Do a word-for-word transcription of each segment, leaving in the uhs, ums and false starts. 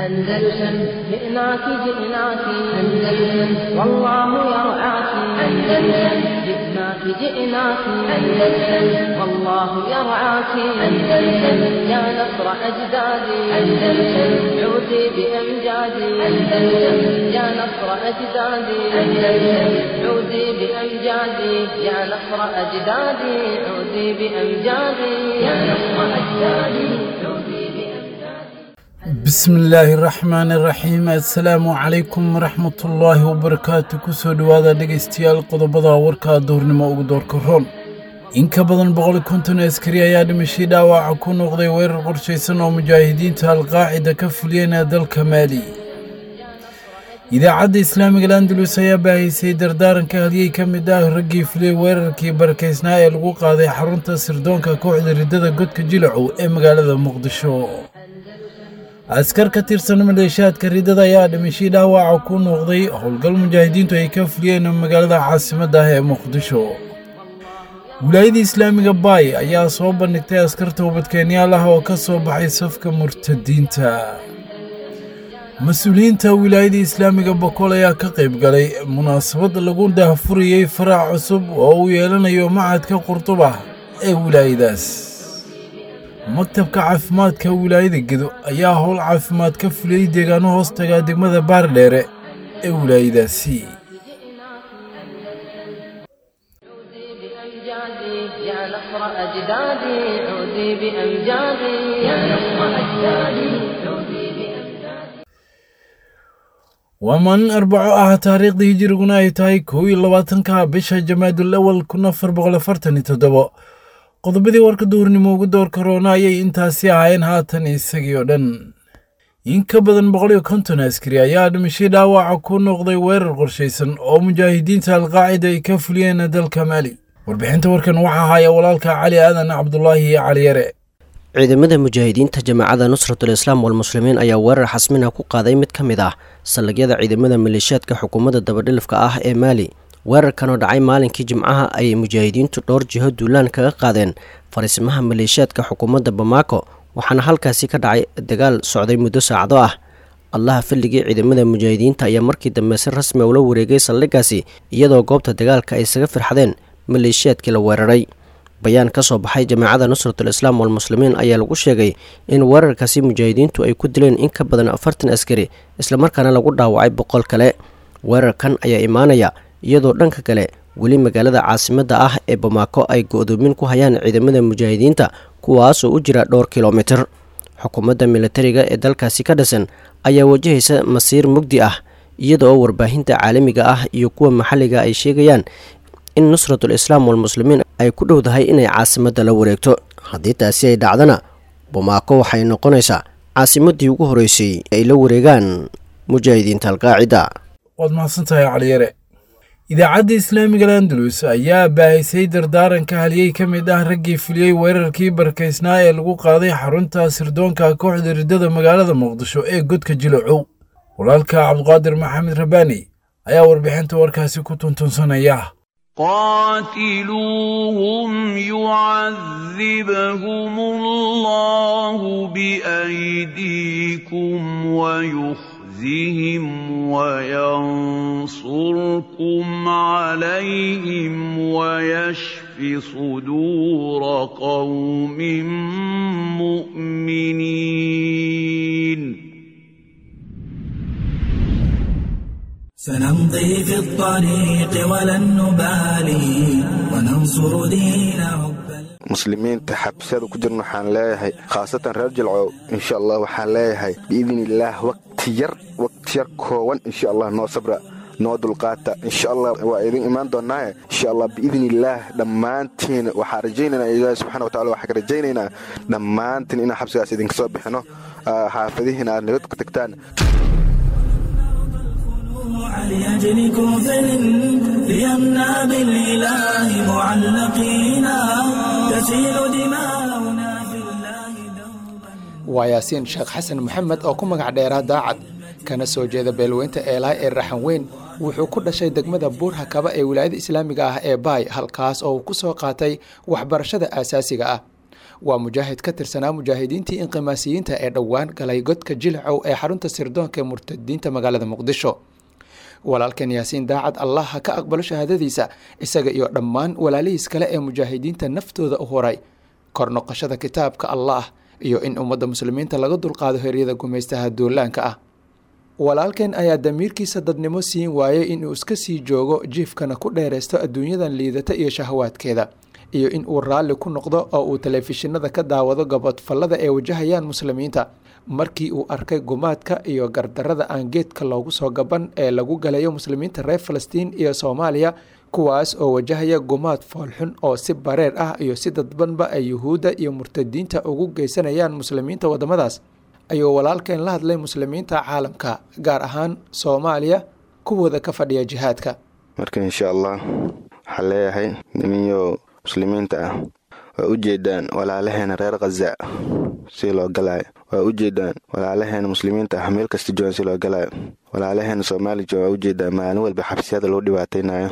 أندلسن جئناك جئناك أندلسن والله يرعاك أندلسن جئناك جئناك أندلسن والله يرعاك أندلسن يا نصر أجدادي أندلسن عودي بأمجادي أندلسن يا نصر أجدادي أندلسن عودي بأمجادي يا نصر أجدادي عودي بأمجادي يا نصر أجدادي عودي. Bismi illaahi raxmaani raxiim. Assalaamu calaykum waraxmatullaahi wabarakaatu. Kusoo dhowaada dhegaystayaal qodobada warka duurnimo ugu doorka roon. In ka badan boqol konton askari ayaa dhimashay dhaawaca ku noqday weerar qorshaysan oo mujaahidiinta Alqaacida ka fuliyeen dalka Maali. Idaacadda Islaamiga Andalus ayaa baahisay dardaaranka halyey ka mid ah raggii fuliyey weerarkii barakaysnaa ee lagu qaaday xarunta sirdoonka kooxda riddada Godka Jilacow ee magaalada Muqdisho. Askar ka tirsan maleeshiyaadka riddada ayaa dhimashay dhaawaca ku noqday howlgal mujaahidiintu ay ka fuliyeen magaalada caasimadda ah ee Muqdisho. Wilaayada Islaamiga Baay ayaa soo bandhigtay askar toobadkeenyaal ah oo ka soo baxay safka murtadiinta. Mas-uuliyiinta Wilaayada Islaamiga Bokool ayaa ka qayb galay munaasabad lagu daahfuriyey farac cusub oo uu yeelanayo Machadka Qurduba ee wilaayadaas. Maktabka caafimaadka wilaayada Gedo ayaa howl caafimaad ka fuliyey deegaano hoos tagaa degmada Baardheere ee wilaayadaasi. عودي بأمجادي يا نصر أجدادي عودي بأمجادي يا نصر أجدادي عودي بأمجادي. Waa maalin Arbaco ah, taariikhdii hijiriguna ay tahay kow iyo labaatanka bisha Jamaadul Awal kun afar boqol afartan iyo toddobo. Qodobadii warka duurnimo ugu door karoona ayay intaasi ahaayeen, haatan isagii oo dhan. In ka badan boqol iyo konton askari ayaa dhimashay dhaawaca ku noqday weerar qorshaysan oo mujaahidiinta Alqaacida ay ka fuliyeen dalka Maali. Warbixinta warkan waxaa haya walaalka Cali Aadan Cabdulaahi Cali Yare. Ciidamada mujaahidiinta Jamaacada Nusratul Islaam Walmuslimiin ayaa weerar xasmina ku qaaday mid ka mid ah saldhigyada ciidamada maleeshiyaadka xukuumadda dabadhilifka ah ee Maali. Weerarkan oo dhacay maalinkii Jimcaha ayay mujaahidiintu dhowr jiho duulaan kaga qaadeen fariisimaha maleeshiyaadka xukuumadda Bamako, waxaana halkaasi ka dhacay dagaal socday muddo saacado ah. Allaha fadligii, ciidamada mujaahidiinta ayaa markii dambe si rasmi ula wareegay saldhiggaasi, iyadoo goobta dagaalka ay isaga firxadeen maleeshiyaadkii la weeraray. Bayaan ka soo baxay Jamaacada Nusratul Islaam Walmuslimiin ayaa lagu sheegay in weerarkaasi mujaahidiintu ay ku dileen in ka badan afartan askari, islamarkaana lagu dhaawacay boqol kale. Weerarkan ayaa imaanaya iyadoo dhanka kale weli magaalada caasimadda ah ee Bamako ay go-doomin ku hayaan ciidamada mujaahidiinta, kuwaasoo u jira dhowr kilomitir. Xukuumadda militariga ee dalkaasi ka dhisan ayaa wajahaysa masiir mugdi ah, iyada oo warbaahinta caalamiga ah iyo kuwa maxalliga ay sheegayaan in Nusratul Islaam Walmuslimiin ay ku dhowdahay inay caasimadda la wareegto. Haddii taasi ay dhacdana, Bamako waxay noqonaysaa caasimaddii ugu horreysay ay la wareegaan mujaahidiinta Alqaacida. Waad mahadsantahay, Cali Yare. Idaacadda Islaamiga Andalus ayaa baahisay dardaaranka halyey ka mid ah raggii fuliyey weerarkii barakaysnaa ee lagu qaaday xarunta sirdoonka kooxda riddada magaalada Muqdisho ee Godka Jilacow. Walaalka Cabdiqaadir Maxamed Rabbaani ayaa warbixinta warkaasi ku tuntunsanaya. قاتلوهم يعذبهم الله بأيديكم ويخزهم وينصركم عليهم ويشف صدور قوم مؤمنين. سنمضي في الطريق ولن نبالي وننصر دين رب Muslimiinta xabsiyada ku jirna waxaan leeyahay, khaasatan reer Jilcow, insha Allah waxaan leeyahay biidni illaah waqti yar, waqti yar koowan, insha Allah noo sabra, noo dulqaata. Insha Allah waa idin imaan doonaaye, insha Allah biidni illaah dhammaantiin waxaan rajaynaynaa, Ilaahi subxana wa tacala waxaan ka rajaynaynaa dhammaantiin inaan xabsigaas idinka soo bixino, xaafadihiina aad nabad ku tagtaan. لأجل كفر ليمنى بالإله معلقين تسيل دماؤنا في الله دوبا. Waa Yaasiin Sheekh Xasan Maxamed oo ku magac dheeraa Daacad, kana soo jeeda beelweynta Eelaay ee Raxan Weyn. Wuxuu ku dhashay degmada Buurhakaba ee Wilaayada Islaamiga ah ee Baay, halkaas oo uu ku soo qaatay waxbarashada aasaasiga ah. Waa mujaahid ka tirsanaa mujaahidiintii inqimaasiyiinta ee dhowaan galay godka Jilcow ee xarunta sirdoonka ee murtadiinta magaalada Muqdisho. Walaalkan Yaasiin Daacad, Allah ha ka aqbalo shahaadadiisa, isaga iyo dhammaan walaalihiis kale ee mujaahidiinta naftooda u horay kor noqoshada kitaabka Allah iyo in ummadda muslimiinta laga dulqaado heryada gumaystaha duulaanka ah. Walaalkan ayaa damiirkiisa dadnimo siin waayey inuu iska sii joogo jiifkana ku dheeraysto adduunyadan liidata iyo shahawaadkeeda, iyo in uu raalli ku noqdo oo uu telefishinada ka daawado gabodfallada ay wajahayaan muslimiinta. Markii uu arkay gumaadka iyo gardarrada aan geedka loogu soo gaban ee lagu galayo muslimiinta reer Falastiin iyo Soomaaliya, kuwaas oo wajahaya gumaad foolxun oo si bareer ah iyo si dadbanba ay yuhuudda iyo murtadiinta ugu geysanayaan muslimiinta waddamadaas, ayuu walaalkeen la hadlay muslimiinta caalamka, gaar ahaan Soomaaliya kuwooda ka fadhiya jihaadka. Marka insha Allah waxaan leeyahay niminyo muslimiinta ah, waa u jeedaan walaalaheena reer Khaza si loo galaayo, waa u jeedaan walaalaheena muslimiinta ah meel kasta joogan si loo galaayo, walaalaheena Soomaali jooga waa u jeedaan maalin walba xabsiyada loo dhibaataynayo.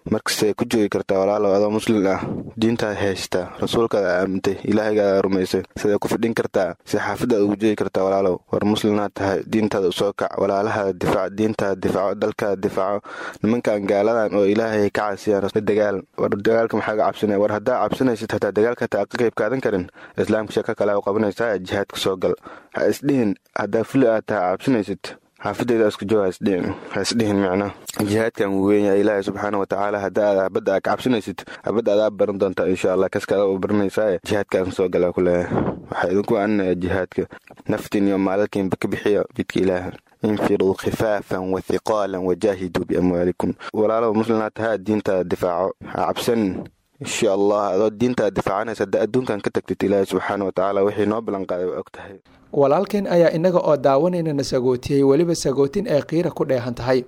Markastay ku joogi kartaa walaalow adoo muslim ah, diintaad haysta, rasuulkaada aamintay, ilaahaygaada rumaysay, siday ku fidhin kartaa, si xaafadaad ugu joogi kartaa walaalow? War muslimnaad tahay, diintaada usoo kac, walaalahaada difaac, diintaada difaaco, dalkaada difaaco. Nimankan gaaladan oo ilaahay ka caasiyaan la dagaal. War dagaalka maxaa ga cabsanaya? War haddaa cabsanaysid hataa dagaalka hataa ka qayb qaadan karin, islaamka sheeko kale u qabanaysaa, jihaadka soo gal. Ha isdhihin haddaa fuli aad tahay cabsanaysid xaafadeyda isku joog, ha isdhihin, ha isdhihin. Micna jihaadkan wuu weyn yahay. Ilaahay subxaana watacaala hadda aad habadda aa ka cabsanaysid, habadda adaa baran doontaa insha Allah, kaskaada u baranaysaa. Jihaadkaan soo galaa ku leeyahay, waxaa idinku aninayaa jihaadka, naftiin iyo maalalkiinba ka bixiya jidka Ilaaha. Infiruu khifaafan wa hiqaalan wajaahiduu biamwaalikum. Walaalow muslimnaad tahaa, diintaada difaaco, ha cabsanin. Insha Allah adoo diintaada difaacanaysa hadda adduunkan ka tagtid, Ilaahay subxaana watacaala wixii noo ballan qaaday waa og tahay. Walaalkeen ayaa innaga oo daawanayna na sagootiyey, weliba sagootin ay qiira ku dheehan tahay.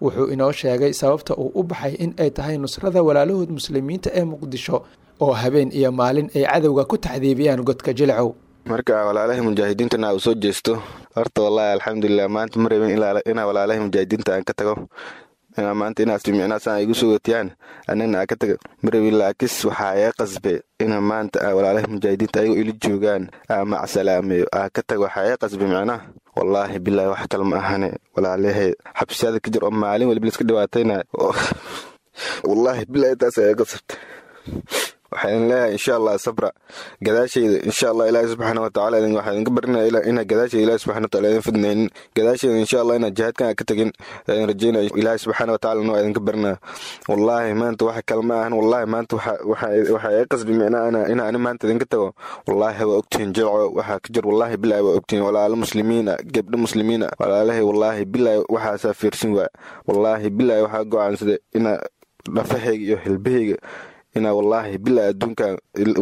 Wuxuu inoo sheegay sababta uu u baxay in ay tahay nusrada walaalahood muslimiinta ee Muqdisho oo habeen iyo maalin ay cadowga ku taxdiibiyaan godka Jilcow. Marka walaalahay mujaahidiintana uu soo jeesto, horta wallaahi alxamdulilah, maanta ma rabin inaa walaalahay mujaahidiinta aan ka tago, inaa maanta inaad micnaasaan igu soo watiyaan anigna aan ka tago ma rabin, laakis waxaa iga qasbay ina maanta walaalahay mujaahidiinta ayagoo ila joogaan aa macsalaameeyo aa ka tago. Waxaa iga qasbay micnaha wallaahi bilaahi wax kale ma ahane walaalahay xabsiyada ka jir oo maalin waliba liska dhibaataynaya. Wallaahi bilaahi taas iga qasabtay. Waxaan leeyahay insha Allah sabra, gadaashayda insha Allah Ilaahi subxaana watacaala waxaan idinka barinaya inaa gadaashayda Ilaahi subxaana watacaala idin fidnaynin, gadaashayda insha Allah inaa jihaadkan ka tagin idin rajaynaya, Ilaahi subxaana watacaala waa idinka barinaya. Wallaahi maanta wax kale ma ahan, wallaahi maanta waxaa iga qasbi micnaa inaa ani maanta idinka tago. Wallaahi waa ogtihiin Jilco waxaa ka jir, wallaahi bilaahi waa ogtihiin walaalo muslimiin ah, gabdho muslimiin ah, walaalahay. Wallaahi bilaahi waxaasaa fiirsin waa, wallaahi bilaahi waxaa go'aansaday inaa dhafahayga iyo hilbahayga inaa wallaahi bilaa adduunka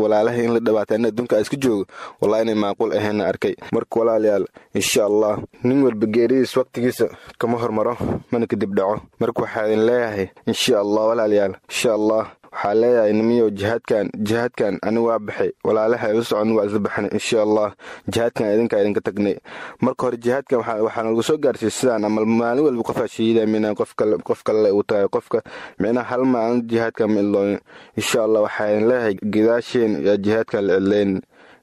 walaalahay in la dhabaata in adduunka iska joogo, wallahi inay macquul ahaynna arkay. Marka walaalayaal, insha Allah nin walba geeridiis waqtigiisa kama hormaro mana kadib dhaco. Marka waxaa idin leeyahay insha Allah walaalayaal, insha Allah waxaa leeyahay nimiyow jihaadkan, jihaadkan ani waa baxay, walaalaha ila socon waa isla baxnay. Insha Allah jihaadkan idinkaa idinka tagnay. Marka hore jihaadkan waxaa nalagu soo gaarsiiyey sidaan ama maalin walba qofaa shahiida minaa qof kale uu tahay qofka micnaha hal maalin jihaadkan ma ilooyin. Insha Allah waxaa idin leeyahay gadaasheen yaa jihaadkan la cidlayn,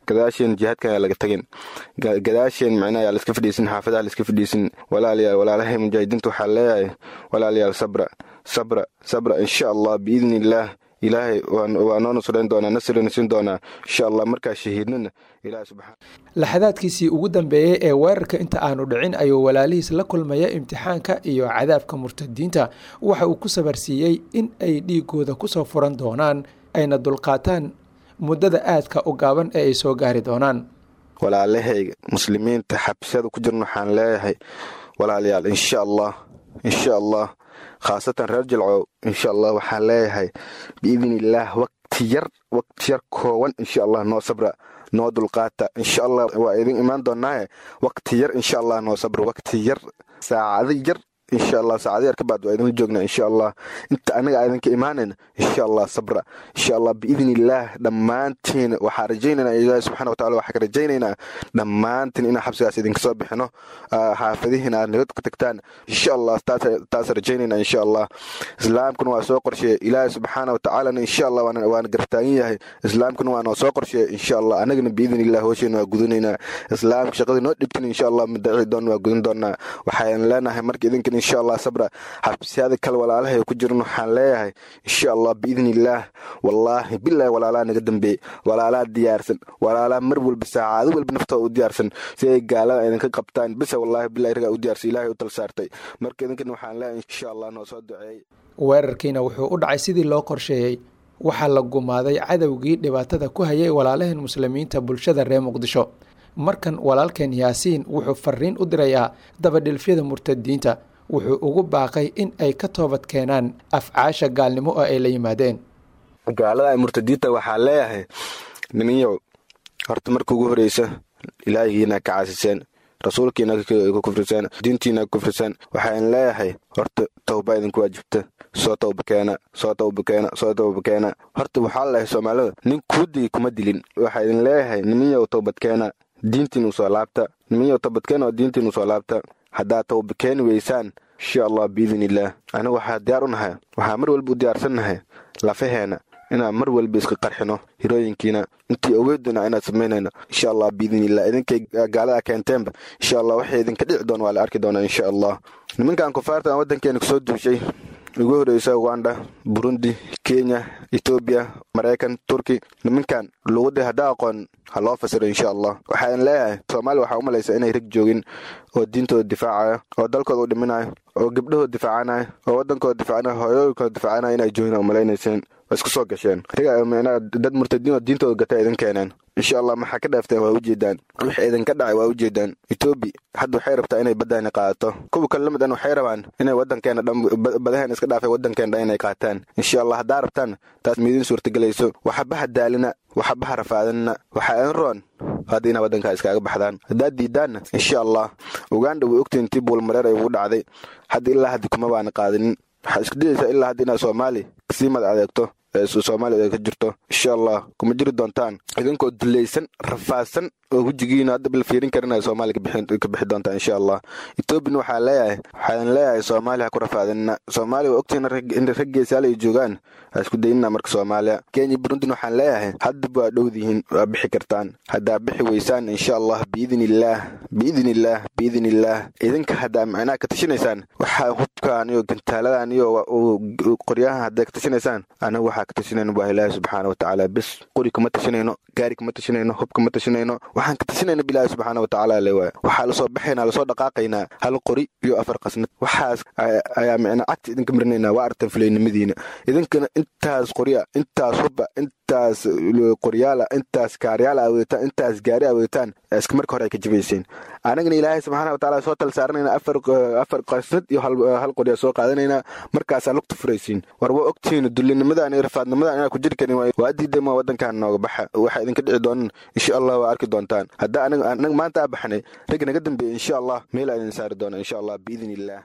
gadaasheen jihaadkan yaa laga tagin, gadaasheen micnaha yaa laiska fadhiisin, xaafadaha laiska fadhiisin. Walaalayaal, walaalahay mujaahidiinta waxaa leeyahay walaalayaal, sabra, sabra, sabra. Insha Allah biidni illaah Ilaahay waa noo nusrayn doonaa, nasrina siin doonaa insha Allah markaa shahiidnana Ilahay subxaana. Laxadaadkiisii ugu dambeeyey ee weerarka inta aanu dhicin ayuu walaalihiis la kulmaya imtixaanka iyo cadaabka murtadiinta. Waxa uu ku sabarsiiyey in ay dhiigooda kusoo furan doonaan, ayna dulqaataan muddada aadka u gaaban ee ay soo gaari doonaan. Walaalahayga muslimiinta xabsiyada ku jirna waxaan leeyahay walaalayaal, insha Allah, insha Allah khaasatan reer Jilcow, insha Allah waxaan leeyahay biidni illaah waqti yar, waqti yar koowan insha Allah noo sabra, noo dulqaata. Insha Allah waa idin imaan doonaaye, waqti yar insha Allah noo sabra, waqti yar, saacado yar. Insha Allah saacado yar ka bacdi waa idinla joognaa insha Allah. Inta anaga idinka imaanayna insha Allah sabra insha Allah biidni illaah. Dhammaantiin waxaa rajaynaynaa Ilaahi subxaana watacaala, waxaa ka rajaynaynaa dhammaantiin inaan xabsigaas idinka soo bixino, xaafadihiina aad nabad ku tagtaan insha Allah. Taas rajaynaynaa insha Allah. Islaamkuna waa soo qorsheeyey, Ilaahi subxaana watacaalana insha Allah waana gartaagan yahay. Islaamkuna waa noo soo qorsheeyey insha Allah. Anagana biidni illah hooshayna waa gudanaynaa. Islaamka shaqadii noo dhibtin insha Allah madaci doon waa gudan doonaa. Waxaan leenahay marka idinkan insha Allah sabra. Xabsiyada kale walaalahay ku jiran waxaan leeyahay insha Allah biidni illaah, wallaahi billahi walaalaha naga dambeeyey, walaalaha diyaarsan, walaalaha mar walba saacado walba naftooda u diyaarsan si ay gaalada idinka qabtaan bisa, wallaahi billahi ragaa u diyaarsan, Ilaahay u tal saartay. Marka idinkan waxaan leeyahay insha Allah noo soo duceeyey. Weerarkiina wuxuu u dhacay sidii loo qorsheeyey. Waxaa la gumaaday cadowgii dhibaatada ku hayay walaalaheen muslimiinta bulshada reer Muqdisho. Markan walaalkeen Yaasiin wuxuu fariin u dirayaa dabadhilfyada murtadiinta. Wuxuu ugu baaqay in ay ka toobad keenaan afcaasha gaalnimo oo ay la yimaadeen. Gaalada murtadiinta waxaa leeyahay, niminyow, horta marka ugu horeysa ilaahigiina ka caasiseen, rasuulkiina ka kufriseen, diintiina ka kufriseen. Waxaan leeyahay horta towba idinku waajibta, soo towba keena, soo towba keena, soo towba keena. Horta waxaa leeyahay soomaalida nin kuudigi kuma dilin. Waxaa idin leeyahay niminyow towbad keena, diintiinu soo laabta. Niminyow towbad keena oo diintiinu soo laabta. Haddaa towba keeni weysaan insha Allah biidni illaah, anigu waxaa diyaar u nahay, waxaa mar walba u diyaarsannahay lafaheena inaan mar walba iska qarxino hirooyinkiina intii awoodana inaan samaynayno insha Allah biidni illah. Idinkay gaalada keenteenba insha Allah waxay idinka dhici doon waa la arki doonaa insha Allah. Nimankan kufaarta aan waddankeena kusoo duushay, ugu horeysa Uganda, Burundi, Kenya, Etoobiya, Maraykan, Turki, nimankan luqadii haddaa aqoon ha loo fasiro insha Allah. Waxaan leeyahay Soomaaliya waxaa u malaysaa inay rag joogin oo diintooda difaacaya, oo dalkooda u dhiminaya, oo gabdhahooda difaacanaya, oo waddankooda difaacanaya, hooyooyinkooda difaacanaya inay joogin u malaynayseen. Waa isku soo gasheen dad murtadiin oo diintooda gatay idin keeneen insha Allah. Maxaa ka dhaafteen waa ujeedaan, wixii idinka dhacay waa ujeedaan. Etoobiya hadda waxay rabtaa inay baddaani qaadato, kuwa kale lamid an waxay rabaan inay waddankeena dhan badaheena iska dhaafay waddankeena dhan inay qaataan insha Allah. Haddaa rabtaan taas miidin suurtagelayso. Waxbaha daalina, waxbaha rafaadinna, waxaa idin roon hadda inaa waddankaa iskaaga baxdaan. Haddaad diidaanna insha Allah Uganda way ogtiin tii buulmareer ay ugu dhacday, hadda ilaa hadda kuma baana qaadinin. Waxaa isku dayaysaa ilaa hadda inaad Soomaali kasii mad adeegto, Soomaaliya ay ka jirto insha Allah. Kuma jiri doontaan idinkoo dulaysan, rafaadsan oo wejigiina hadda bal fiirin karinaya Soomaaliya ka bixi doontaan insha Allah. Etoobiyana waxaa leeyahay, waxaan leeyahay Soomaaliya ha ku rafaadinina. Soomaaliya waa ogtihiin in rag geesaal ay joogaan, ha isku daynina marka Soomaaliya. Kenya, Burundina waxaan leeyahay haddaba waa dhowdihiin, waa bixi kartaan. Haddaa bixi weysaan insha Allah biidni illaah, biidni illaah, biidni illaah, idinka haddaa macnaha ka tashinaysaan waxaa hubkaan iyo gantaaladan iyo qoryahan haddaa ka tashinaysaan, anagu waxaa ka tashinayno waa Ilaahi subxaana watacaala bes. Qori kama tashinayno, gaari kama tashinayno, hub kama tashinayno, waxaan ka tashinayna bilaahi subxaana watacaala le waay. Waxaa lasoo baxaynaa, lasoo dhaqaaqaynaa hal qori iyo afar qasnad, waxaas ayaa micnaa cagta idinka marinaynaa. Waa aragtaan fulaynimadiina idinkana intaas qorya, intaas hubba, intaas qoryaala, intaas kaaryaala aa wadataan, intaas gaari aa wadataan, iska marka hore ay ka jabayseen. Anagana Ilaahay subxaana watacaala soo tal saaranayna, afar afar qasnad iyo hal qorya soo qaadanaynaa, markaasaa lugta furaysiin. War waa ogtihiin dullinimadan iyo rafaadnimadan inaa ku jiri karin, waa diiday ma waddankan nooga baxa. Waxaa idinka dhici doonan insha Allah waa arki doontaan. Haddaa anaga anaga maanta aa baxnay, rag naga dambeeyey insha Allah meel aa idin saari doona insha Allah biidni illaah.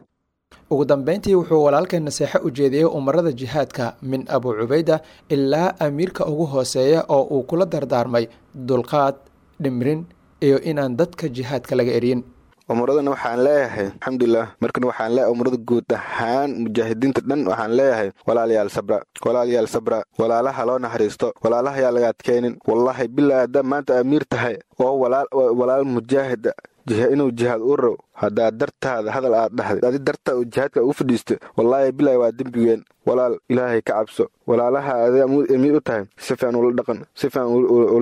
Ugu dambeyntii wuxuu walaalkeen naseexo u jeediyey umarada jihaadka min Abu Cubayda ilaa amiirka ugu hooseeya, oo uu kula dardaarmay dulqaad, dhimrin iyo inaan dadka jihaadka laga eryin. Umuradana waxaan leeyahay alxamdulilah. Markan waxaan leeyahay umurada guud ahaan mujaahidiinta dhan waxaan leeyahay walaalayaal sabra, walaalayaal sabra, walaalaha loo naxariisto, walaalaha yaa laga adkaynin. Wallaahi bilaa haddaa maanta amiir tahay oo walaal walaal mujaahida inuu jihaad u row, haddaa dartaada hadal aad dhahday, adi dartaa uu jihaadka ugu fadhiista, wallaahi bilaahi waa dembigeen. Walaal Ilaahay ka cabso, walaalaha adi amiir u tahay si fiican ula dhaqan, si fiican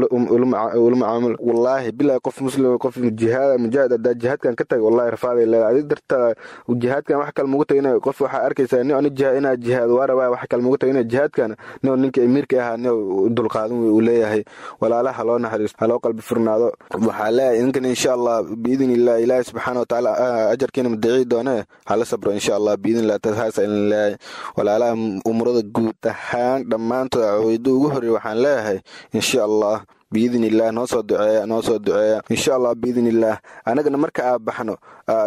ula macaamul. Wallaahi bilaahi qof muslim, qof jihaad mujaahid haddaa jihaadkan ka tagay, wallaahi rafaaday leedahay. Adi dartaa jihaadkan wax kale mugu tagay, qof waxaa arkaysaa nin ani jihaad inaa jihaad waa rabaa, wax kale mugu tagay inaa jihaadkan nin ninka amiirka ahaa nin dulqaadan uu leeyahay. Walaalaha loo naxariisto, ha loo qalbi furnaado. Waxaa leeyahay idinkan insha Allah biidni illah Ilaahay subxaana watacaala ajarkiina madaci doone, hala sabro insha Allah biidni illah. Taas idin leeyahay walaalaha umurada guud ahaan dhammaantood caweydo ugu horreey waxaan leeyahay insha Allah biidni illaah noo soo duceeya, noo soo duceeya insha Allah biidni illaah. Anagana marka aa baxno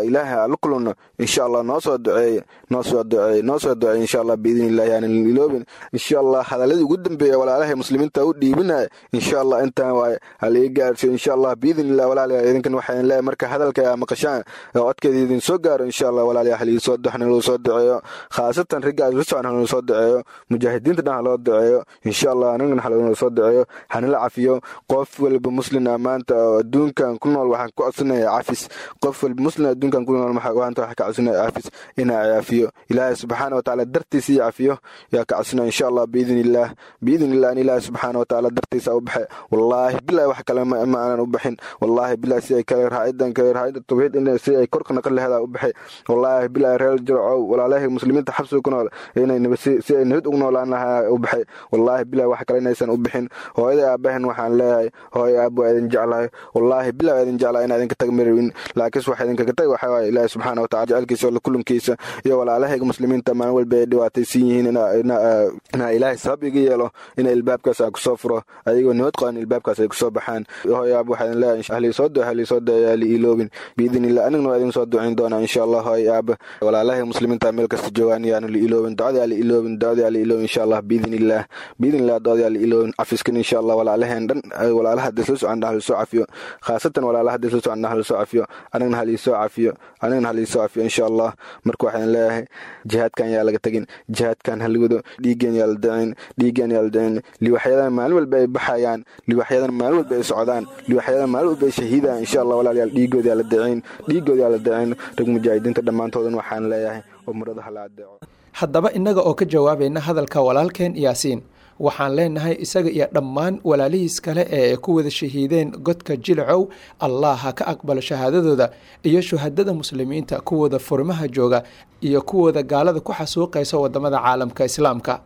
Ilaahay aan la kulanno insha Allah. Noo soo duceeye, noo soo duceeye, noo soo duceeye insha Allah biidni illahi, aanan iloobin insha Allah. Hadaladii ugu dambeeya walaalahay muslimiinta u dhiibinaya insha Allah intaan waaye, hala ii gaarsiyo insha Allah biidni illah. Walaalayaal, idinkan waxaan leeyahay marka hadalka aa maqashaan oo codkeeda idin soo gaaro insha Allah, walaalayaal, hal ii soo hanaloo soo duceeyo, khaasatan ragga isla socon hanaloo soo duceeyo, mujaahidiinta dhan haloo duceeyo insha Allah, anigana haloo soo duceeyo, hanala cafiyo. Qof walba muslim ah maanta oo adduunkan ku nool waxaan ku codsanayaa cafis. Qof walba muslim adduunkan ku nool maanta waxaan ka codsanaya cafis, inaa cafiyo Ilaahay subxaana watacaala dartiisa iyo cafiyo yaa ka codsanaya insha Allah biidni illaah, biidni illah. In Ilaahay subxaana watacaala dartiisa u baxe, wallaahi bilahi wax kale ma aanan u bixin, wallaahi bilahi si ay kale raacidan kale raacida tawxiid in si ay korka naqan laheeda u baxay, wallaahi bilahi. Reer Jircow, walaalahay muslimiinta xabsiga ku nool inay si ay nabad ugu noolaan lahaa u baxay, wallaahi bilahi wax kale inaysan u bixin. Hooyada aabahan waxaan leeyahay, hooyo aab, waa idin jeclahay, wallaahi bilahi waa idin jeclahay, inaa idinka tag marwin, laakiinse waxa idinkaga tag waxaa waaye Ilaahi subxaana wataala jecelkiisa oo la kulankiisa iyo walaalahayga muslimiinta maalin walba ay dhibaataysan yihiin, inaa Ilaahay sabab iga yeelo ina ilbaabkaas aan kusoo furo ayagoo nabad qaban, ilbaabkaas ay kusoo baxaan. Hooyo aab waxaa idin leeyahay halii soo duce, halii soo duce, halii iloobin biidni illah. Anigna waa idin soo ducayn doonaa insha Allah. Hooyo aab, walaalahay muslimiinta meel kasta joogaan yaanu la iloobin ducadii, ala iloobin ducadii, ala iloobin insha Allah biidni illah, biidni illah ducadii ala iloobin. Cafiskan insha Allah walaalaheen dhan, walaalaha hadda isla socon hal soo cafiyo, khaasatan walaalaha hadda isla socon hal soo cafiyo, anigna hal soo cafiyo, anigna hal soo cafiyo insha Allah. Marka waxaan leeyahay jihaadkan yaa laga tagin, jihaadkan ha lagu wado, dhiiggeen yaa la dacin, dhiiggeen yaa la dacin. Liwaxyadan maalin walba ay baxayaan, liwaxyadan maalin walba ay socdaan, liwaxyadan maalin walba ay shahiidaan insha Allah. Walaalayaal, dhiiggooda yaa la dacin, dhiiggooda yaa la dacin. Rag mujaahidiinta dhammaantoodan waxaan leeyahay umrada hala adeeco. Haddaba innaga oo ka jawaabayna hadalka walaalkeen Yaasiin, waxaan leenahay isaga iyo dhammaan walaalihiis kale ee ay ku wada shahiideen godka Jilcow, Allah ha ka aqbalo shahaadadooda iyo shuhadada muslimiinta kuwooda furmaha jooga iyo kuwooda gaalada ku xasuuqaysa wadamada caalamka islaamka.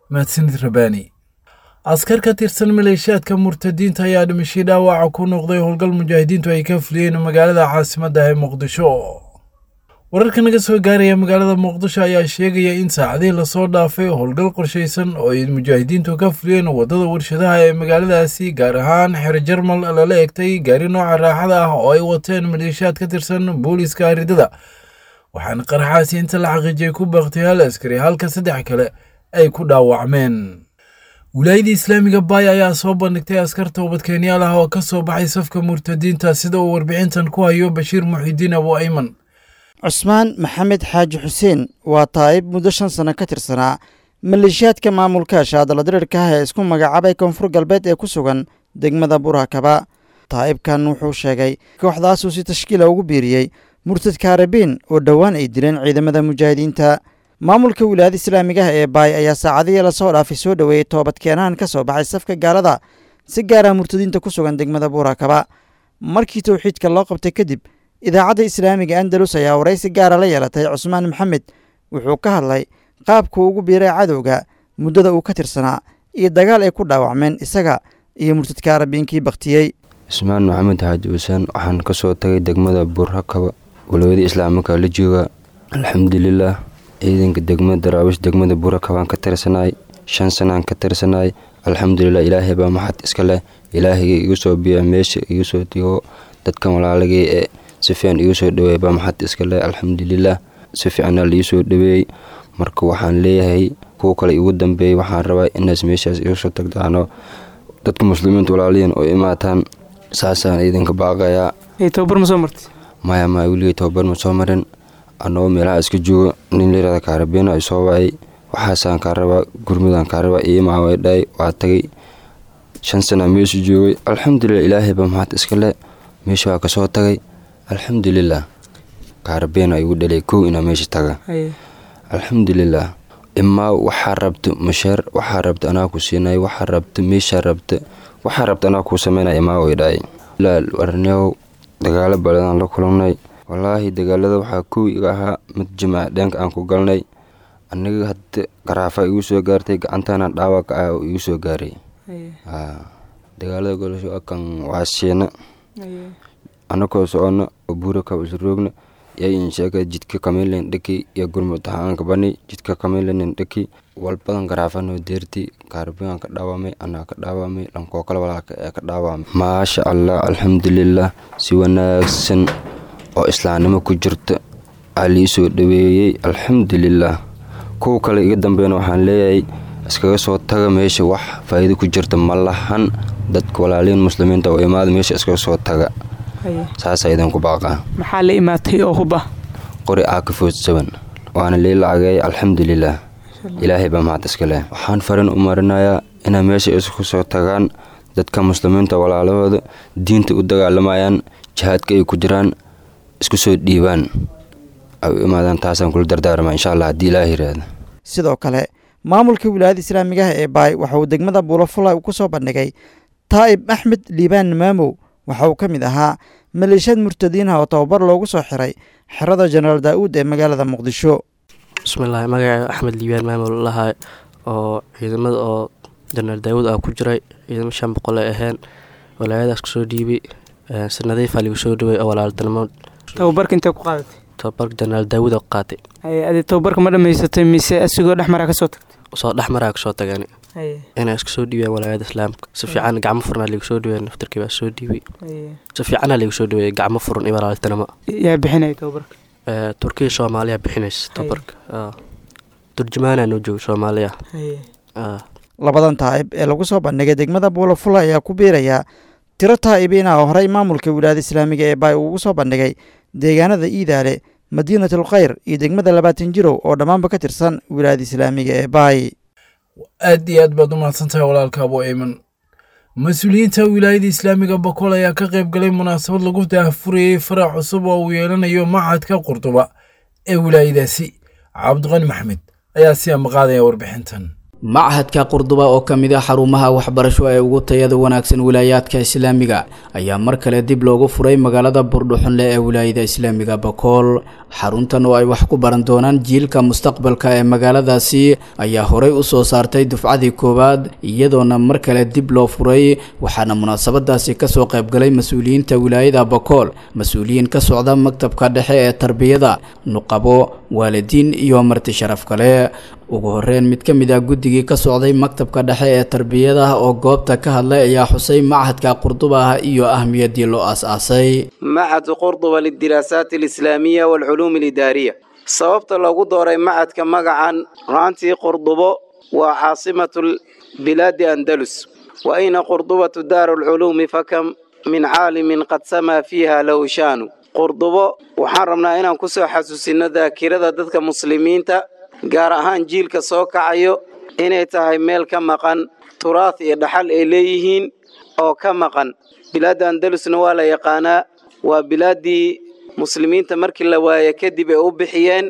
Mahadsanid Rabaani. Askar ka tirsan maleeshiyaadka murtadiinta ayaa dhimashay dhaawaca ku noqday howlgal mujaahidiintu ay ka fuliyeen magaalada caasimadda ee Muqdisho. Wararka naga soo gaaraya magaalada Muqdisho ayaa sheegaya in saacadihii lasoo dhaafay howlgal qorshaysan oo ay mujaahidiintu ka fuliyeen waddada warshadaha ee magaaladaasi, gaar ahaan xero Jarmal, lala egtay gaari nooca raaxada ah oo ay wateen maleeshiyaad ka tirsan booliiska aridada, waxaana qaraxaasi inta la xaqiijiyay ku baaqtay hal askari halka saddex kale ay ku dhaawacmeen. Wilaayadii islaamiga Baay ayaa soo bandhigtay askar toobadkeenyaal ah oo ka soo baxay safka murtadiinta, sida uu warbixintan ku hayo Bashiir Muxidiin Abu Ayman. Cusmaan Maxamed Xaaji Xuseen waa taa'ib muddo shan sano ka tirsanaa maleeshiyaadka maamulka shaadaladirirka ah ee isku magacaabay Koonfur Galbeed ee ku sugan degmada Burakaba. Taa'ibkan wuxuu sheegay kooxdaasuu si tashkiila ugu biiriyey murtad Kaarabiin oo dhowaan ay dileen ciidamada mujaahidiinta. Maamulka wilaayada islaamiga ah ee Baay ayaa saacadihii lasoo dhaafay soo dhoweeyey toobadkeenahan ka soo baxay safka gaalada, si gaara murtadiinta ku sugan degmada Buurakaba. Markii towxiidka loo qabtay kadib, idaacadda islaamiga Andalus ayaa waraysi gaara la yeelatay Cusmaan Maxamed. Wuxuu ka hadlay qaabkuu ugu biiray cadowga, muddada uu ka tirsanaa iyo dagaal ay ku dhaawacmeen isaga iyo murtadka Arabiinkii baktiyey. Cusmaan Maxamed Xaaji Xuseen, waxaan ka soo tagay degmada Buurakaba, walaayada islaamika la jooga, alxamdulilaah. Ciidanka degmada Daraawish degmada Buurakabaan ka tirsanaay, shan sanaan ka tirsanaay, alxamdulilah. Ilaahay baa maxad iska leh, ilaahayga igu soo biya meesha igu soo digo dadkan walaalagay ee si fiican igu soo dhaweey baa maxad iska leh, alxamdulilah. Si fiicanaa liigu soo dhaweeyey. Marka waxaan leeyahay kuwa kale igu dambeeyey, waxaan rabaa inaas meeshaas igu soo tagdaano, dadka muslimiinta walaaliyan oo imaataan, saasaan idinka baaqayaa. Tababar ma soo martay? Maya maya, weligay tababar ma soo marin. Anagoo meelaha iska joogo nin layirahda Kaarabeena ay soo wacay, waxaasaan kaa rabaa, gurmudaan kaa rabaa, iimaa way dhahay, waa tagay. Shan sanaa meesha joogay, alxamdulilah, ilaahay baa maxad iska leh, meesha waa kasoo tagay, alxamdulilah. Kaarabeena igu dhalay kow inaa meesha taga, alxamdulilah. Imaa waxaa rabta masheer, waxaa rabta anaa ku siinay, waxaa rabta meeshaa rabta, waxaa rabta anaa kuu sameynaya, imaa way dhahay. Arneow, dagaalo badan la kulannay wallaahi. Dagaalada waxaa kow iga ahaa mid jimca dheenka aan ku galnay aniga, hadda garaafa igu soo gaartay, gacantana dhaawac ah oo igu soo gaaray. Dagaalada golasho kan waa siina anakoo socono oo Buurakaba isroogna yay insheega jidka kamilen dhaki iyo gurmud ahaanka bani jidka kamilen dhaki walbadan garaafano deerti kaarbigan ka dhaawamay, anaa ka dhaawamay, dhankoo kale walaalka ee ka dhaawamay. Maasha Allah, alxamdulilah, si wanaagsan oo islaamnimo ku jirta aa lii soo dhaweeyey, alxamdulilaah. Kuwa kale iga dambeeyna waxaan leeyahay iskaga soo taga meesha, wax faa'iido ku jirta ma lahan. Dadka walaalihiin muslimiinta oo imaada meesha iskaga soo taga, saasaa idinku baaqaa. Maxaa la imaatay oo hub ah? Qori aakafood saban waana lii lacageey, alxamdulilaah, ilaahay baa mahad iska leh. Waxaan farin u marinayaa inay meesha isku soo tagaan dadka muslimiinta walaalahooda diinta u dagaalamayaan, jihaadka ay ku jiraan, isku soo dhiibaan, ay u imaadaan, taasaan kula dardaarmaa insha allah haddii ilaah yiraahdo. Sidoo kale maamulka wilaayada islaamiga ah ee Baay waxa uu degmada Buulafulay uu ku soo bandhigay Taa'ib Axmed Liibaan Maamow. Waxa uu ka mid ahaa maleeshiyaad murtadiinha oo tababar loogu soo xiray xerada Jenaraal Daa'uud ee magaalada Muqdisho. Bismillahi, magaca Axmed Liibaan Maamow lalahay oo ciidamada oo Jenaraal Daawuud ah ku jiray, ciidamo shan boqol ay ahayn, walaayadaas kusoo dhiibay, si nadiifa ligu soo dhaway oo walaaltinimo. Tababarka intee ku qaadatay? Tababarka Jenaraal Daawuud oo qaatay. Adi tababarka ma dhamaysatay mise asigoo dhexmaraa kasoo tagtay? Soo dhexmaraa kasoo tagani. Inay isku soo dhiibeen walaayada islaamka si fiican, gacmo furan ligu soo dhiibeen, naftarkii baa soo dhiibay, si fiicana ligu soo dhiibay, gacmo furan iyo walaaltinimo. Yaa bixinaya tababarka? Turkiya Soomaaliya bixinaysa tababarka, turjumaanaa noo jooga Soomaaliya. Labadan taa'ib ee lagu soo bandhigay degmada Buulafula ayaa ku biiraya tiro taa'ibiin ah oo horey maamulka wilaayada islaamiga ee Baay ugu soo bandhigay deegaanada Iidaale, Madiinatul Khayr iyo degmada Labaatan Jirow oo dhammaanba ka tirsan wilaayada islaamiga ee Baay. Aad iyo aad baad u mahadsantahay walaalka Abu Ayman. Mas-uuliyiinta wilaayada islaamiga Bakool ayaa ka qayb galay munaasabad lagu daahfurayey farac cusub oo uu yeelanayo machadka Qurduba ee wilaayadaasi. Cabdiqani Maxmed ayaa si amaqaadaya warbixintan. Machadka Qurduba oo ka mid ah xarumaha waxbarasho ee ugu tayada wanaagsan wilaayaadka islaamiga ayaa mar kale dib loogu furay magaalada Buurdhuxunle ee wilaayada islaamiga Bakool. Xaruntan oo ay wax ku baran doonaan jiilka mustaqbalka ee magaaladaasi ayaa horey u soo saartay dufcadii koowaad, iyadoona mar kale dib loo furay, waxaana munaasabadaasi kasoo qaybgalay mas-uuliyiinta wilaayada Bakool, mas-uuliyiin ka socda maktabka dhexe ee tarbiyada, nuqabo, waalidiin iyo marti sharaf kale. Ugu horeyn mid ka mid ah guddigii ka socday maktabka dhexe ee tarbiyada oo goobta ka hadlay ayaa xusay machadka Qurduba ah iyo ahmiyaddii loo aas-aasay. Machad Qurduba lidiraasaat alislaamiya waalculuum alidaariya. Sababta loogu dooray machadka magacan ruantii Qurdubo waa caasimatu bilaadi Andalus, wa ayna Qurdubatu daaru lculuumi fakam min caalimin qad samaa fiiha lahu shaanu. Qurdubo waxaan rabnaa inaan kusoo xasuusino daakirada dadka muslimiinta, gaar ahaan jiilka soo kacayo, inay tahay meel ka maqan turaah iyo dhaxal ay leeyihiin oo ka maqan. Bilaadda Andalusna waa la yaqaanaa, waa bilaaddii muslimiinta markii la waaye kadib ay u bixiyeen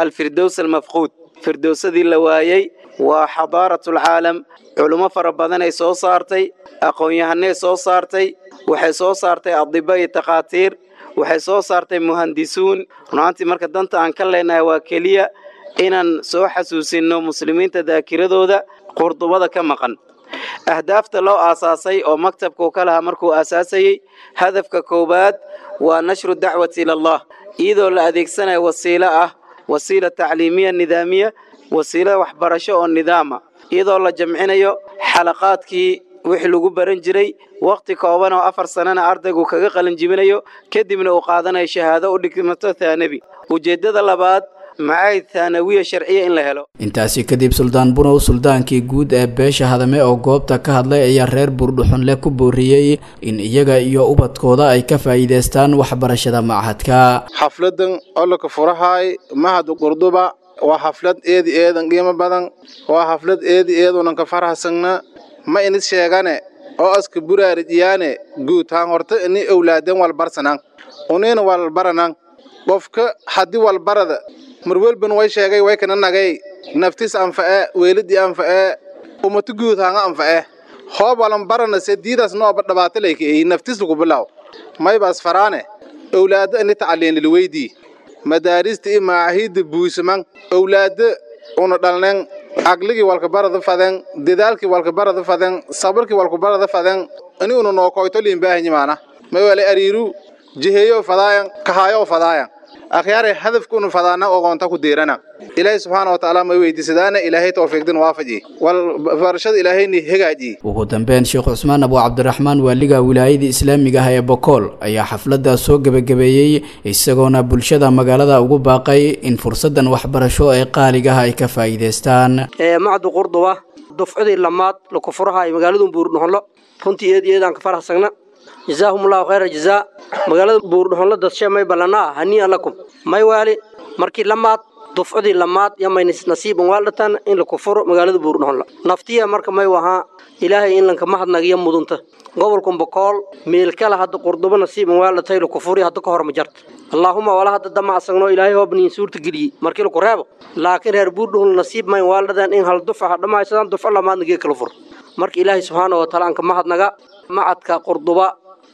alfirdows almafquud, firdowsadii la waayey. Waa xadaaratul-caalam, culummo fara badanay soo saartay, aqoon-yahanay soo saartay, waxay soo saartay adiba iyo takhaatiir, waxay soo saartay muhandisuun. Runaantii marka danta aan ka leenahay waa keliya inaan soo xasuusinno muslimiinta daakiradooda Qurdubada ka maqan. Ahdaafta loo aasaasay oo maktabkuu ka lahaa markuu aasaasayey, hadafka koowaad waa nashru dacwati ila allah, iyadoo la adeegsanayo wasiilo ah, wasiila tacliimiya nidaamiya, wasiila waxbarasho oo nidaama, iyadoo la jamcinayo xalaqaadkii wixii lagu baran jiray waqti kooban oo afar sanana ardaygu kaga qalinjibinayo, kadibna uu qaadanayo shahaado u dhigmato thaanabi. Ujeeddada labaad macaahid thaanawiya sharciya in la helo. Intaasi kadib Suldaan Bunow, suldaankii guud ee beesha Hadame oo goobta ka hadlay ayaa reer Buurdhuxunle ku booriyey in iyaga iyo ubadkooda ay ka faa'iidaystaan waxbarashada machadka. Xafladan ololka furahaay mahad Qurduba waa xaflad eedi eedan qiimo badan, waa xaflad eedi eedunan ka faraxsanna. Ma inis sheegane oo aska buraarijiyaane guud haan horta ini owlaaden walbarsanaan unina walbaranaan. Qofka haddii walbarada marwelban way sheegay way kana nagay naftiis anfa'e, weeladii anfa'e, ummatu guud haanga anfa'e. Hoob walan barana se diidaas nooba dhabaata layka eey naftiis lagu bilaw maybaas faraane owlaada ini tacaliin lilweydii madaarista iyo macaahidda buusaman owlaada una dhalnen aqligii walka barada faden, dadaalkii walka barada faden, sabarkii walka barada faden, ini una nookoyto liin baahanyi maana maywale ariiru jiheeyo fadaayan kahaayo fadaayan. Akhyaaray hadafkuunu fadaana ogoonta ku deerana. Ilaahay subxaana wa tacaala may weydiisadaana Ilaahay tawfiiqdin waafaji wal barashada Ilaahayni hagaaji. Ugu dambeyn, Sheekh Cusmaan Abu Cabdiraxmaan, waaliga wilaayada islaamiga ah ee Bokool, ayaa xafladda soo gebagabeeyey, isagoona bulshada magaalada ugu baaqay in fursadan waxbarasho ee qaaliga ah ay ka faa'iidaystaan. Macdu Qurduba dufcadii lamaad laku furaha ay magaalada Buurdhuxunlo, runtii eed eedaan ka faraxsagna. Jazaahumullahu khayra jazaa. Magaalada Buurdhuxunlo dadshe may ballanaa hanii'an lakum may waali markii lamaad dufcadii lamaad yamay nasiiban waaldhatan in laku furo magaalada Buurdhuxunlo naftiya. Marka may wahaa Ilaahay in lanka mahadnagiyo mudunta gobolkan Bokool meel kale hadda Qurduba nasiiban waaldhatay laku furi hadda ka hor ma jarta. Allaahuma wala hadda damacsagno Ilaahay hoobniin suurta geliyey markii laku reebo, laakiin reer Buurdhuxunlo nasiib may waaldhadaan in hal dufca dhammaysadaan dufco lamaadna gee kala furo. Marka Ilaahay subxaana wa tacaala anka mahadnaga macadka Qurduba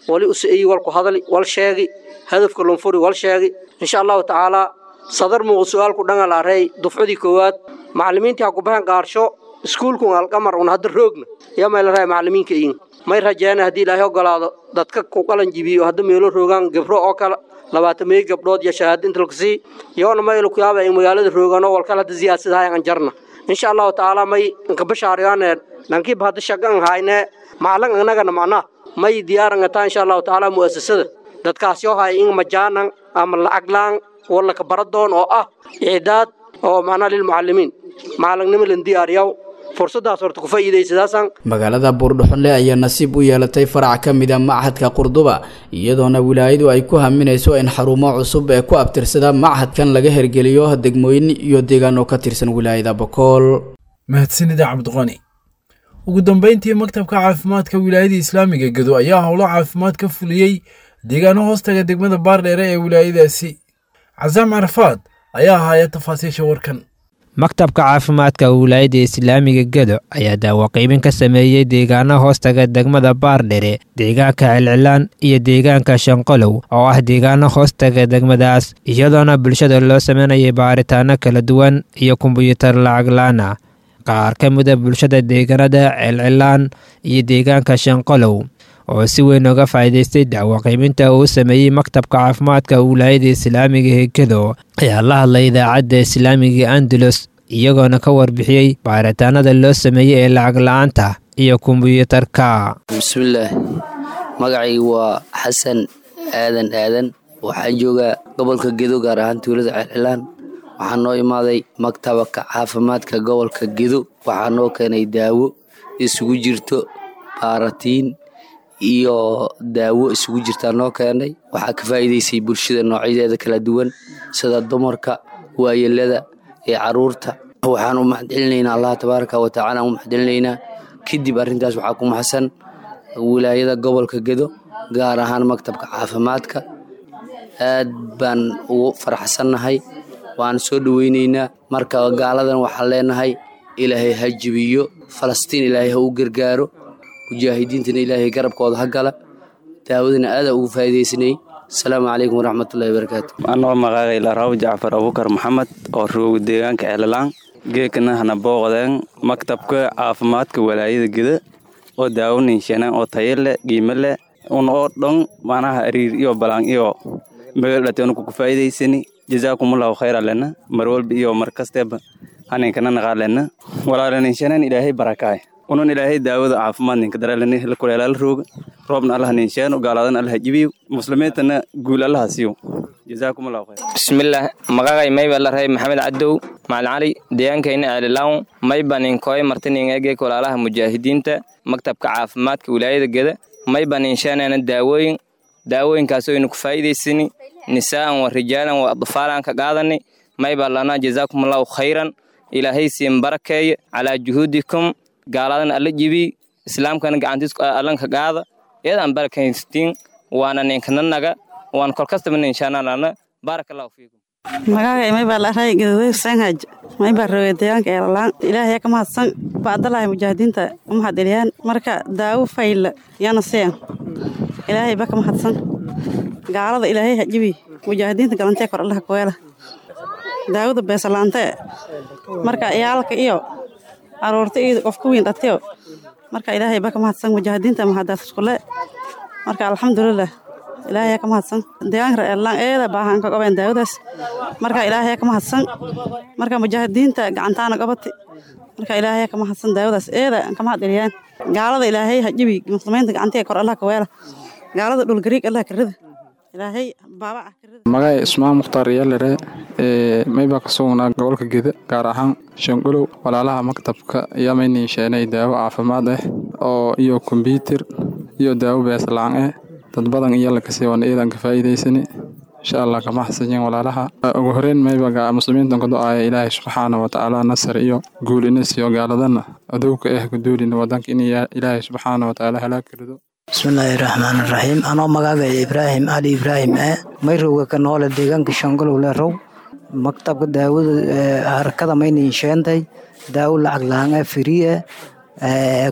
wali usiiyi walku hadali wal sheegi hadafka lunfuri wal sheegi insha Allahu tacaala. Sadar muuq su'aalku dhangalaaray dufcadii koowaad macallimiintii ha ku baxeen qaarsho iskuulkun Alqamar un hadda roogna yaa may la raay macallimiinka iin may rajeena haddii Ilaahay ogolaado dadka ku qalan jibiyo hadda meelo roogaan gabro oo kale labaatan meey gabdhood iyo shahaado inta lagu sii yoona may lagu yaaba in magaalada roogaan oo walkala hadda siyaasadaha aan jarna insha Allahu tacaala. May inka bashaariyaan dhankiiba hadda shaqan hayne macallin annagana macnaa may diyaaran taa insha Allahu tacaala mu'asasada dadkaas yoo hay in majaanan ama lacag laan wala ka baradoon oo ah icdaad oo macnaa lilmucallimiin macalinimo lan diyaariyaw fursadaas horta ku faa'iidaysadaasan. Magaalada Buurdhuxunle ayaa nasiib u yeelatay farac ka mid a machadka Qurduba, iyadoona wilaayadu ay ku haminayso in xarumo cusub ee ku abtirsada machadkan laga hergeliyo degmooyin iyo deegaano ka tirsan wilaayada Bokool. Mahadsanida Cabdiqani. Ugu dambeyntii, maktabka caafimaadka wilaayada islaamiga Gedo ayaa howlo caafimaad ka fuliyey deegaano hoostaga degmada Baardheere ee wilaayadaasi. Casaam Carafaad ayaa ahaaya tafaasiisha warkan. Maktabka caafimaadka wilaayada islaamiga Gedo ayaa daawo qaybin ka sameeyey deegaano hoostaga degmada Baardhere, deegaanka Celcilaan iyo deegaanka Shanqolow oo ah deegaano hoostaga degmadaas, iyadoona bulshada loo sameynayay baaritaano kala duwan iyo kombuyuutar lacag la'aan ah. Qaar ka mida bulshada deegaanada Celcilaan iyo deegaanka Shanqolow oo si weyn uga faa'iidaystay dacwo qiiminta uu sameeyey maktabka caafimaadka wilaayada islaamiga ee Gedo ayaa la hadlay idaacadda islaamiga Andalus, iyagoona ka warbixiyey baaritaanada loo sameeyey ee lacag la'aanta iyo kombuyuutarka. Bismillaah, magacaygu waa Xasan Aadan Aadan, waxaan joogaa gobolka Gedo, gaar ahaan tuulada Celcilaan. Waxaa noo imaaday maktabka caafimaadka gobolka Gedo, waxaa noo keenay daawo isugu jirto baaratiin iyo daawo isugu jirtaa noo keenay. Waxaa ka faa'iidaysay bulshada noocyadeeda kala duwan sida dumarka, waayeelada iyo caruurta. Waxaan u mahadcelinaynaa Allah tabaaraka wa tacaala, u mahadcelinaynaa. Kadib arrintaas waxaa ku mahadsan wilaayada gobolka Gedo, gaar ahaan maktabka caafimaadka. Aad baan ugu faraxsannahay, waan soo dhoweynaynaa. Marka gaaladan waxaan leenahay Ilaahay ha jibiyo Falastiin, Ilaahay ha u gargaaro mujaahidiintana, Ilaahay garabkooda ha gala. Daawadana aada ugu faa'iidaysanay. Asalaamu calaykum waraxmatullahi wabarakaatu. Anoo magacay Laraaw Jacfar Abuukar Maxamed oo rooga deegaanka Ceelalaan, geekana hana booqdeen maktabka caafimaadka walaayada Geda oo daawo ninshanaan oo tayo leh, qiimo leh un oo dhan macnaha ariir iyo balaan iyo magaalada ku faa'iidaysani. Jazaakumullahu khayran lana mar walba iyo mar kastaba haninkana naqaalena walaalaninshanaan Ilaahay barakaay unan Ilaahay daawada caafimaad ninka daraalani la kuleelaal rooga roobna Allah ninshaano, gaaladan Allah jibiyo, muslimiintana guul Allah siiyo. Jazaakumullahu khayr. Bismillaah, magacay mayba la rahay Maxamed Cadow Macalin Cali, deegaankayna Ceelilaan. Mayba ninkooy martiningeegee walaalaha mujaahidiinta maktabka caafimaadka wilaayada Geda mayba ninshaanana daawooyin, daawooyinkaasoo aynu ku faa'iidaysani nisaa'an wa rijaalan wa atfaalan ka qaadani. Mayba lana jazaakumullahu khayran, Ilaahay siin barakeeye calaa juhuudikum, gaaladan alla jibi, islaamkana gacantiis allanka qaada, iyadaan barakaystiin waana ninkananaga waan kolkastaba ninshaananana. Baaraka allahu fiikum. Magacay maybaa la raay Gaduuday Xuseen maybaa roogay deegaanka Eelaan. Ilaahay ka mahadsan bacdalahay mujaahidiinta u mahadceliyaan. Marka daawo fayla yana seen Ilaahay ba ka mahadsan. Gaalada Ilaahay ha jibi, mujaahidiinta galantee kor Allah ku weela. Daawada beesalaante marka iyaalka iyo aroorta iyo qofka weyn dhatiyo. Marka Ilaahay ba ka mahadsan, mujaahidiinta mahadaas iskule. Marka alxamdulilah Ilaahay ka mahadsan. Deegaanka Eellaan eeda baahan ka qabeen daawadaas. Marka Ilaahay ka mahadsan. Marka mujaahidiinta gacantaana qabatay. Marka Ilaahay ka mahadsan daawadaas eeda ka mahad celiyaan. Gaalada Ilaahay ha jabi, muslimiinta gacanteeda kor Allah ka weela. Gaalada dhul gariig Allah ka rida. Ilaahay baaba ah. Magacay Ismaan Mukhtaar Yalere ee mayba ka sugnaa gobolka Geda, gaar ahaan Shangolow. Walaalaha maktabka ayaa maynii sheenay daawo caafimaad ah oo iyo kombyuutar iyo daawo bees la'aan ah. Dad badan iyo la kasii waan eedan ka faa'iidaysani insha Allah. Kama xasanyin walaalaha. Ugu horeyn mayba ga muslimiintan ku ducaaya Ilaahay subxaana wa tacaala nasar iyo guul ina siiyo, gaaladana adowga ah ku duulina wadanka in Ilaahay subxaana wa tacaala halaag rido. Bismillaahi raxmaani raxiim. Anoo magacay Ibraahim Ali Ibraahim eh mayrowga ka noole deegaanka Shangolow leerow. Maktabka daawada harakada mayna sheentay daawo lacag la'aan ah, free ah.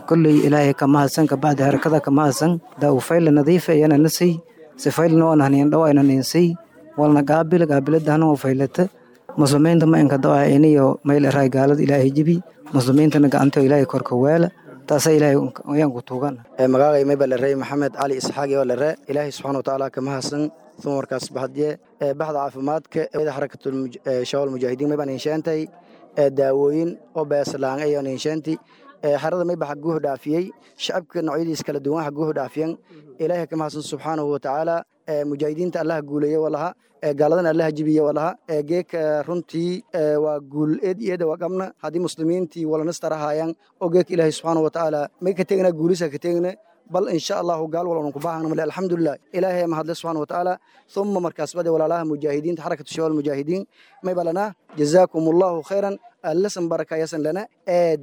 Kulley Ilaahay ka mahadsan, ka bacdi harakada ka mahadsan. Daawo fayl nadiif ah yana nasay si fayl noo nahneen dhaw ayna ninsay walna qaabil qaabiladana oo faylata. Muslimiinta ma inka dawaa inayo mayl raay gaalada Ilaahay jibi, muslimiintana gacanta Ilaahay korka weela. Taasa Ilaahay ayaan ku tuugan. Magacay mayba la rey Maxamed Cali Isxaaq oo la ree. Ilaahay subxaana watacaala ka mahadsan. Uma markaas baxdiye baxda caafimaadka xarakatul shabaab mujaahidiin maybaan inshaantay daawooyin oo beeslaan ayaan inshaanti. Xerada mayba xaguuhu dhaafiyey shacabka noocyadiis kala duwan xaguuhu dhaafiyan. Ilaahay ka mahadsan subxaanahu watacaala. Mujaahidiinta Allaha guuleeye walaha, gaaladana Allaha jibiye walaha. Geeka runtii waa guul eed iyo eeda waa qabna haddii muslimiintii walanastarahaayaan oo geeka Ilaahay subxaanahu watacaala may ka tegna guulisa ka tegna. Bal insha allahu gaal walanu ku baahna male. Alxamdulilah, Ilaahay mahadle subxaanahu watacaala. Uma markaas bade walaalaha mujaahidiinta xarakatu shabaab mujaahidiin may balana jazaakum allahu khayran, allasan baraka yasan lana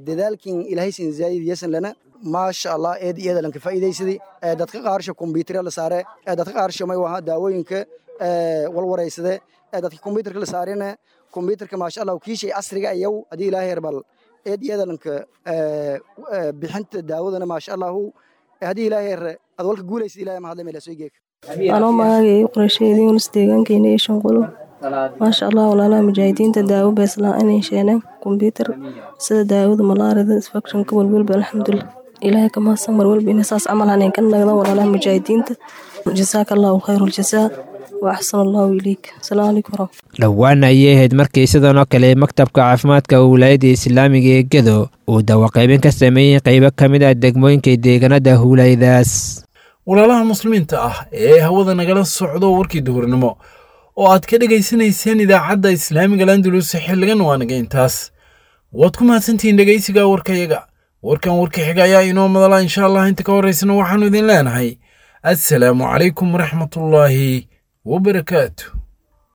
dadaalkin Ilaahay sin zaayid yasan lana. Maasha Allah, eed iyada lanka faa'iidaysadii. Dadka qaarsha kombiyuutar la saare, dadka qaarsha may waha daawooyinka walwareysade. Dadka kombiyuutarka la saarena kombiyuutarka maasha Allah kiishay casriga ayaw hadii Ilaahay herbal eed iyada lanka bixinta daawadana maasha Allah haddii Ilaahay her ad walka guulaysid. Ilaahay mahadle meel soo geek. Anoo magacay Qorsheedii Yunus, deegaankeena iyo Shanqulo. Maasha Allah, walaalaha mujaahidiinta daawo beeslaan inay sheeneen, kombiyuutar, sida daawada malaarida, infectionka walwalba. Alxamdulilah, Ilaahay ka mahadsan. Mar walba inay saas camal haneen ka nagdan walaalaha mujaahidiinta. Jazaaka Allahu khayru aljazaa wa axsan Allahu ilayk. Asalaamu calaykum waraxmat. Dhowaan ayay ahayd markii sidan oo kale maktabka caafimaadka wilaayadda islaamiga ee Gedo uu dawaqaybin ka sameeyey qaybo ka mid ah degmooyinka deegaanada huulaydaas. Walaalaha muslimiinta ah ee hawada nagala socdo, warkii duhurnimo oo aad ka dhegaysanayseen idaacadda islaamiga Landulus xilligan waa naga intaas. Waad ku mahadsantihiin dhegaysiga warkayaga. Warkan warka xiga ayaa inoo madala insha Allah. Inta ka horraysana waxaanu idin leenahay assalaamu calaykum waraxmatullaahi wabarakaatu.